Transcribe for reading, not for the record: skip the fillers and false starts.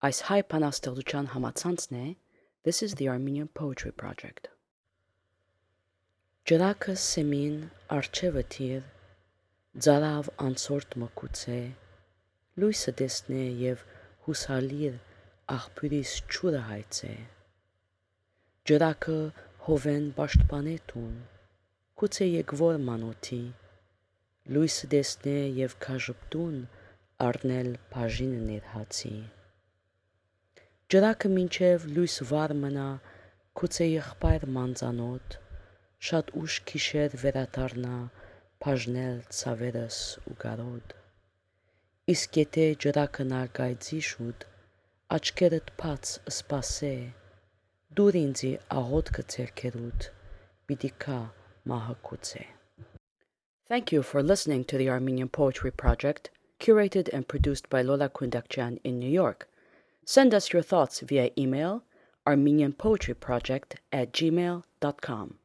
Այս հայ բանաստեղծության համացանցն է This is the Armenian Poetry Project. Ջրակը սեմին արջևը թիր, ձարավ անցորդ մկուց է, լույսը դեսնե և հուսալիր աղբյուրիս ջուրը հայց է։ Ջրակը հովեն պաշտպանե տուն, գուցե եկվոր մանոթի, լույսը դեսնե և քաժպտուն առնել բաժինը ներհացի։ Ջրակը մինչև լույս վար մնա, գուցե եղբայր մանծանոտ, շատ ուշ գիշեր վերադառնա բաժնել ցավերս ու կարոտ։ Իսկ եթե ջրակը նարգայցի շուտ, աչքերդ բաց սպասե, դուր ինձի աղոթքը ձեռքերուդ, պիտի քա մահակուց է։ Thank you for listening to the Armenian Poetry Project, curated and produced by Lola Kundakjian in New York. Send us your thoughts via email armenianpoetryproject@gmail.com.